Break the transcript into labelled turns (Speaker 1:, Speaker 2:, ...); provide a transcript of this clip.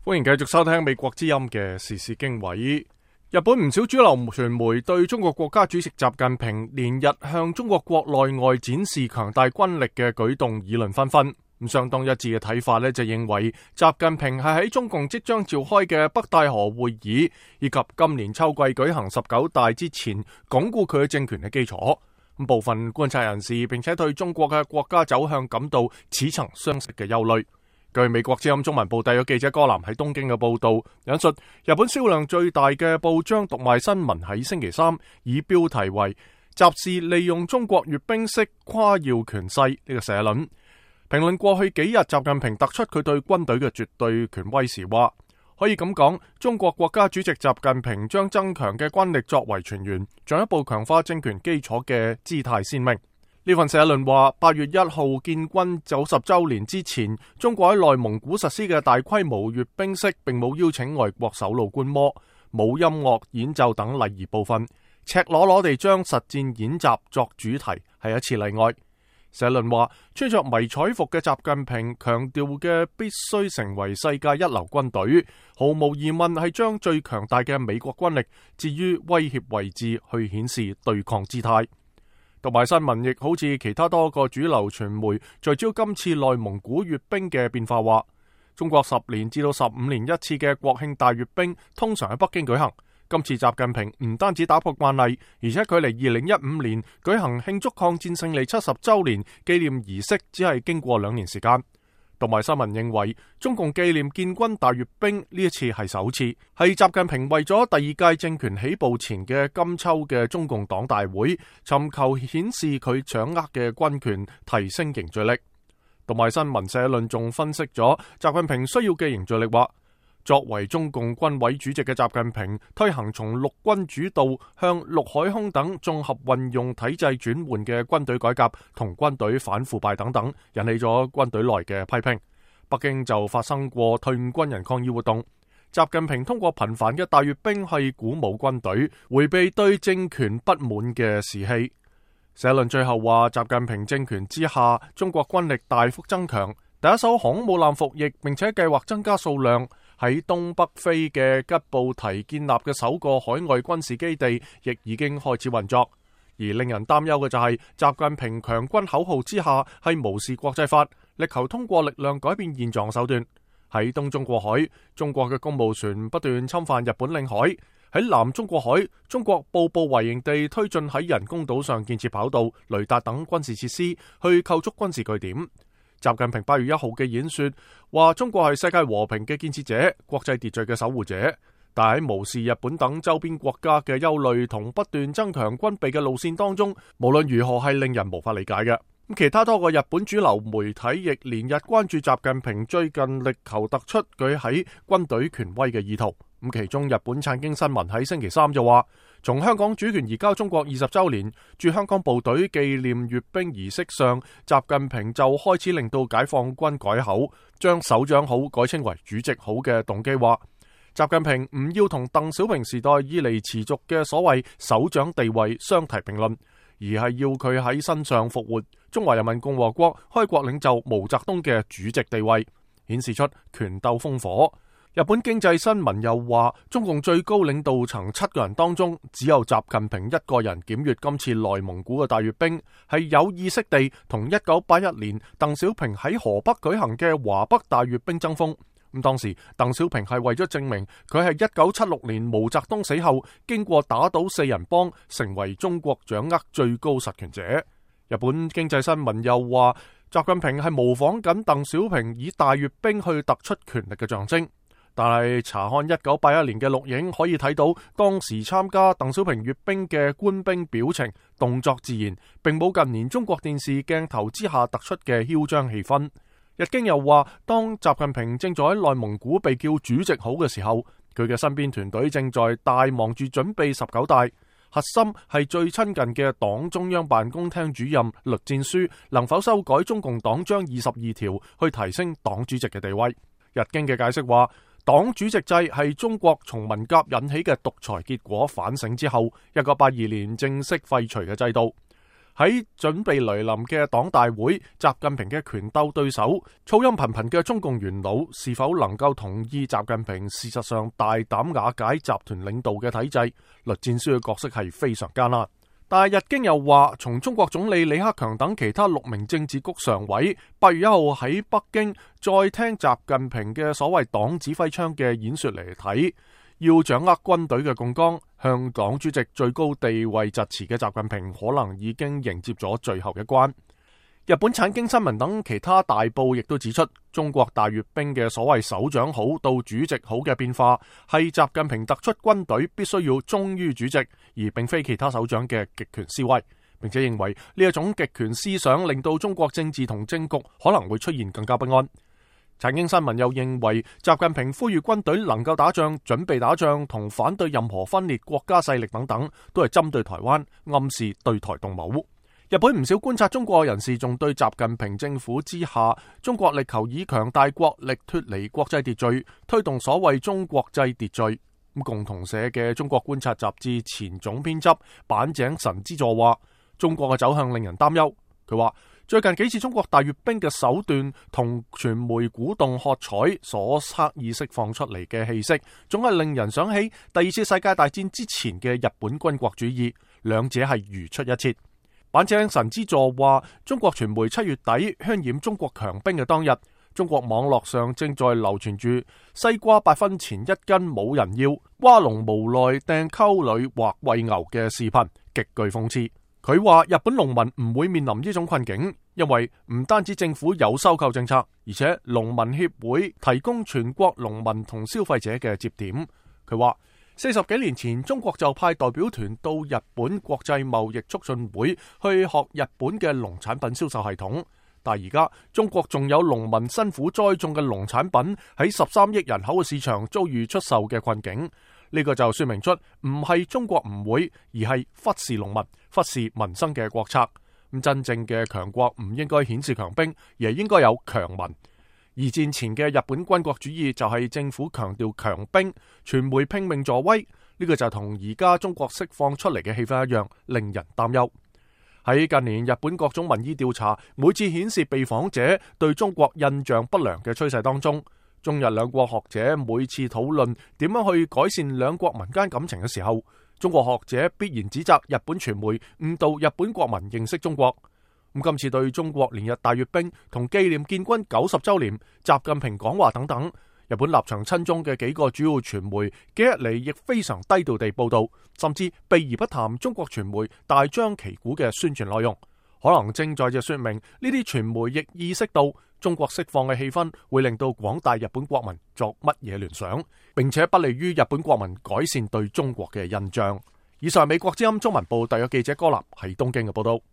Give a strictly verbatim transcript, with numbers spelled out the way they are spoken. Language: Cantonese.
Speaker 1: 歡迎繼續收聽美國之音嘅時事經緯。日本唔少主流傳媒對中國國家主席習近平連日向中國國內外展示強大軍力嘅舉動議論紛紛。咁相當一致嘅睇法呢，就認為習近平係喺中共即將召開嘅北戴河會議以及今年秋季舉行十九大之前，鞏固佢嘅政權嘅基礎。咁部分觀察人士並且對中國嘅國家走向感到似曾相識嘅憂慮。據美國之音中文部特約記者柯南喺東京嘅報道，引述日本銷量最大嘅報章讀賣新聞喺星期三以標題為習氏利用中國閱兵式誇耀權勢呢個社論，評論過去幾日習近平突出佢對軍隊嘅絕對權威時話，可以咁講，中國國家主席習近平將增強嘅軍力作為全員，進一步強化政權基礎嘅姿態鮮明。呢份社論話，八月一號建軍九十周年之前，中國喺內蒙古實施嘅大規模閱兵式並冇邀請外國首腦觀摩，冇音樂演奏等禮儀部分，赤裸裸地將實戰演習作主題，係一次例外。社論話，穿着迷彩服嘅習近平強調嘅必須成為世界一流軍隊，毫無疑問係將最強大嘅美國軍力置於威脅位置去顯示對抗姿態。讀賣新聞亦好似其他多個主流傳媒聚焦今次內蒙古閱兵嘅變化話，中國十年至到十五年一次嘅國慶大閱兵通常喺北京舉行，今次習近平唔單止打破慣例，而且距離二零一五年舉行慶祝抗戰勝利七十周年紀念儀式只係經過兩年時間。讀賣新聞認為，中共紀念建軍大閱兵呢一次係首次，係習近平為咗第二屆政權起步前嘅金秋嘅中共黨大會，尋求顯示佢掌握嘅軍權，提升凝聚力。讀賣新聞社論仲分析咗習近平需要嘅凝聚力，話作為中共軍委主席嘅習近平推行從陸軍主導向陸海空等綜合運用體制轉換嘅軍隊改革同軍隊反腐敗等等，引起咗軍隊內嘅批評。北京就發生過退伍軍人抗議活動，習近平通過頻繁嘅大閱兵係鼓舞軍隊，迴避對政權不滿嘅士氣。社論最後話，習近平政權之下，中國軍力大幅增強，第一艘航母艦服役，並且計劃增加數量。喺東北非嘅吉布提建立嘅首個海外軍事基地亦已經開始運作，而令人擔憂嘅就係習近平強軍口號之下係無視國際法，力求通過力量改變現狀手段。喺東中國海，中國嘅公務船不斷侵犯日本領海；喺南中國海，中國步步為營地推進喺人工島上建設跑道、雷達等軍事設施，去構築軍事據點。習近平八月一號嘅演說話，中國係世界和平嘅建設者、國際秩序嘅守護者，但喺無視日本等周邊國家嘅憂慮同不斷增強軍備嘅路線當中，無論如何係令人無法理解嘅。其他多個日本主流媒體亦連日關注習近平最近力求突出佢喺軍隊權威嘅意圖。咁其中日本產經新聞喺星期三就話，從香港主權移交中國二十周年駐香港部隊紀念閱兵儀式上，習近平就開始令到解放軍改口，將首長好改稱為主席好嘅動機話，習近平唔要同鄧小平時代以嚟持續嘅所謂首長地位相提並論，而係要佢喺身上復活中華人民共和國開國領袖毛澤東嘅主席地位，顯示出權鬥烽火。日本經濟新聞又話，中共最高領導層七個人當中，只有習近平一個人檢閱今次內蒙古嘅大閱兵，係有意識地同一九八一年鄧小平喺河北舉行嘅華北大閱兵爭鋒。咁當時鄧小平係為咗證明佢係一九七六年毛澤東死後，經過打倒四人幫，成為中國掌握最高實權者。日本經濟新聞又話，習近平係模仿緊鄧小平以大閱兵去突出權力嘅象徵。但係查看一九八一年嘅錄影，可以睇到當時參加鄧小平閱兵嘅官兵表情動作自然，並冇近年中國電視鏡頭之下突出嘅囂張氣氛。日經又話，當習近平正在喺內蒙古被叫主席好嘅時候，佢嘅身邊團隊正在大忙住準備十九大，核心係最親近嘅黨中央辦公廳主任栗戰書能否修改中共黨章二十二條，去提升黨主席嘅地位。日經嘅解釋話，黨主席制係中國從文革引起嘅獨裁結果反省之後，一九八二年正式廢除嘅制度。喺準備來臨嘅黨大會，習近平嘅權鬥對手、噪音頻頻嘅中共元老是否能夠同意習近平事實上大膽瓦解集團領導嘅體制？栗戰書嘅角色係非常艱難。但係日經又話，從中國總理李克強等其他六名政治局常委八月一號喺北京再聽習近平嘅所謂黨指揮槍嘅演說嚟睇，要掌握軍隊嘅槓桿，向黨主席最高地位疾馳嘅習近平可能已經迎接咗最後一關。日本產經新聞等其他大報亦都指出，中國大閱兵嘅所謂首長好到主席好嘅變化，係習近平突出軍隊必須要忠於主席，而並非其他首長嘅極權思維，並且認為呢一種極權思想令到中國政治同政局可能會出現更加不安。產經新聞又認為，習近平呼籲軍隊能夠打仗、準備打仗同反對任何分裂國家勢力等等，都係針對台灣，暗示對台動武。日本唔少觀察中國人士仲對習近平政府之下，中國力求以強大國力脫離國際秩序，推動所謂中國際秩序。共同社嘅中國觀察雜誌前總編輯板井神之助話，中國嘅走向令人擔憂。佢話最近幾次中國大閱兵嘅手段同傳媒鼓動喝彩所刻意釋放出嚟嘅氣息，總係令人想起第二次世界大戰之前嘅日本軍國主義，兩者係如出一轍。板井神之助話，中國傳媒七月底渲染中國強兵嘅當日，中國網絡上正在流傳住西瓜八分錢一斤冇人要，蛙農無奈掟溝裏或餵牛嘅視頻，極具諷刺。佢話日本農民唔會面臨呢種困境，因為唔單止政府有收購政策，而且農民協會提供全國農民同消費者嘅接點。佢話四十幾年前，中國就派代表團到日本國際貿易促進會去學日本嘅農產品銷售系統，但而家中國仲有農民辛苦栽種嘅農產品喺十三億人口嘅市場遭遇出售嘅困境。呢個就說明出唔係中國唔會，而係忽視農民、忽視民生嘅國策。咁真正嘅強國唔應該顯示強兵，而係應該有強民。二戰前嘅日本軍國主義就係政府強調強兵，傳媒拼命助威，呢個就同而家中國釋放出嚟嘅氣氛一樣，令人擔憂。喺近年日本各種民意調查每次顯示被訪者對中國印象不良嘅趨勢當中，中日兩國學者每次討論點樣去改善兩國民間感情嘅時候，中國學者必然指責日本傳媒誤導日本國民認識中國。咁今次對中國連日大閱兵同紀念建軍九十週年、習近平講話等等，日本立場親中嘅幾個主要傳媒幾日嚟亦非常低調地報道，甚至避而不談中國傳媒大張旗鼓嘅宣傳內容，可能正在就說明呢啲傳媒亦意識到中國釋放嘅氣氛會令到廣大日本國民作乜嘢聯想，並且不利於日本國民改善對中國嘅印象。以上係美國之音中文部特約記者柯立喺東京嘅報道。